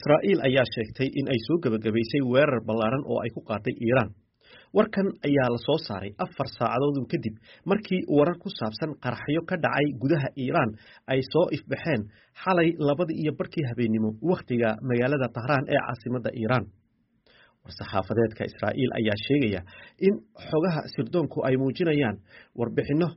Israa'iil ayaa sheegtay in ay soo gebagabaysay weerar ballaaran oo ay ku qaaday Iiraan. Warkan ayaa la soo saaray 4 saacadood kadib markii warar ku saabsan qaraxyo ka dhacay gudaha Iiraan ay soo ifbaxeen xalay 2:30 habeennimo wakhtiga magaalada Tahraan ee caasimadda Iiraan. War-saxaafadeedka Israa'iil ayaa sheegaya in xogaha sirdoonku ay muujinayaan warbixinno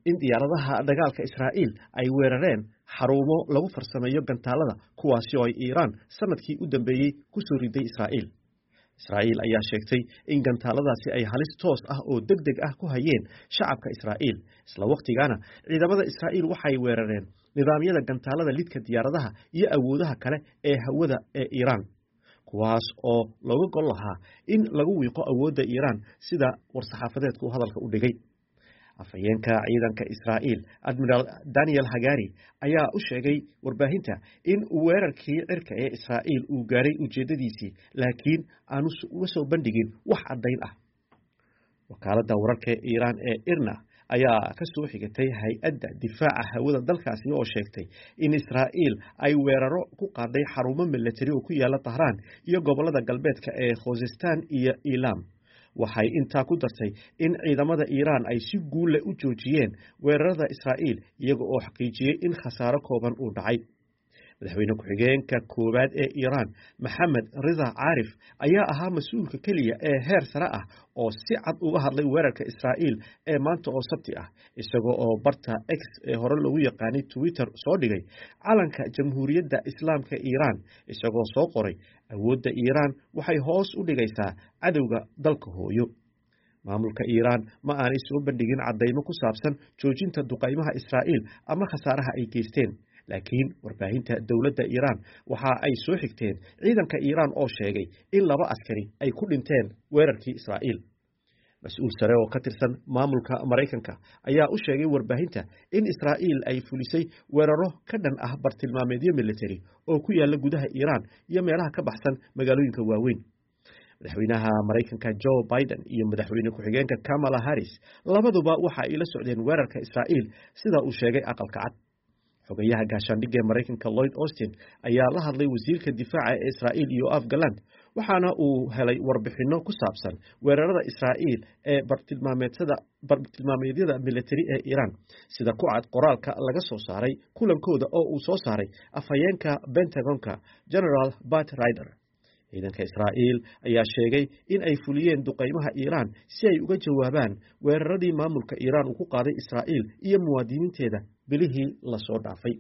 in diyaaradaha dagaalka Israa'iil ay weerareen xarumo lagu farsameeyo gantaalada, kuwaasi oo ay Iiraan sanadkii u dambeeyey ku soo riday Israa'iil. Israa'iil ayaa sheegtay in gantaaladaasi ay halis toos ah oo degdeg ah ku hayeen shacabka Israa'iil. Isla wakhtigaana ciidamada Israa'iil waxay weerareen nidaamyada gantaalada lidka diyaaradaha iyo awoodaha kale ee hawada ee Iiraan, kuwaas oo looga gol lahaa in lagu wiiqo awoodda Iiraan, sida war-saxaafadeedku hadalka u dhigay. Afhayeenka ciidanka Israa'iil, Admiral Daniel Hagari, ayaa u sheegay warbaahinta in weerarkii cirka ee Israa'iil uu gaaray ujeedadiisii, laakiin aanu uga soo bandhigin wax caddayn ah. Wakaaladda wararka Iiraan ee IRNA ayaa ka soo xigatay hay-adda difaaca hawada dalkaasi oo sheegtay in Israa'iil ay weeraro ku qaaday xarumo milatari oo ku yaala Tahraan iyo gobolada galbeedka ee Khuzestan iyo Ilam. Waxay intaa ku dartay in ciidamada Iiraan ay si guul leh u joojiyeen weerarada Israa'iil, iyaga oo xaqiijiyey in khasaaro kooban uu dhacay. Madaxweyne ku-xigeenka koowaad ee Iiraan, Maxamed Rida Caarif, ayaa ahaa mas-uulka keliya ee heer sare ah oo si cad uga hadlay weerarka Israa'iil ee maanta oo Sabti ah, isagoo oo barta X ee hore loogu yaqaanay Twitter soo dhigay calanka Jamhuuriyadda Islaamka Iiraan, isagoo soo qoray: "Awoodda Iiraan waxay hoos u dhigaysaa cadowga dalka hooyo." Maamulka Iiraan ma aanay soo bandhigin caddaymo ku saabsan joojinta duqaymaha Israa'iil ama khasaaraha ay geysteen, laakiin warbaahinta dowladda Iiraan waxa ay soo xigteen ciidanka Iiraan oo sheegay in laba askari ay ku dhinteen weerarkii Israa'iil. Mas-uul sare oo ka tirsan maamulka Maraykanka ayaa u sheegay warbaahinta in Israa'iil ay fulisay weeraro ka dhan ah bartilmaameedyo militari oo ku yaala gudaha Iiraan iyo meelaha ka baxsan magaalooyinka waaweyn. Madaxweynaha Maraykanka Joe Biden iyo madaxweyne ku-xigeenka Kamala Harris labaduba waxa ay la socdeen weerarka Israa'iil, sida uu sheegay Aqalka Cad. Xogayaha gaashaandhigga ee Maraykanka Lloyd Austin ayaa la hadlay wasiirka difaaca ee Israa'iil, Yoav Gallant, waxaana uu helay warbixinno ku saabsan weerarada Israa'iil ee bartilmaameedyada militari ee Iiraan, sida ku cad qoraalka laga soo saaray kulankooda oo uu soo saaray afhayeenka Pentagonka, General Pat Ryder. Ciidanka Israa'iil ayaa sheegay in ay fuliyeen duqaymaha Iiraan si ay uga jawaabaan weeraradii maamulka Iiraan uu ku qaaday Israa'iil iyo muwaadiniinteeda bilihii lasoo dhaafay.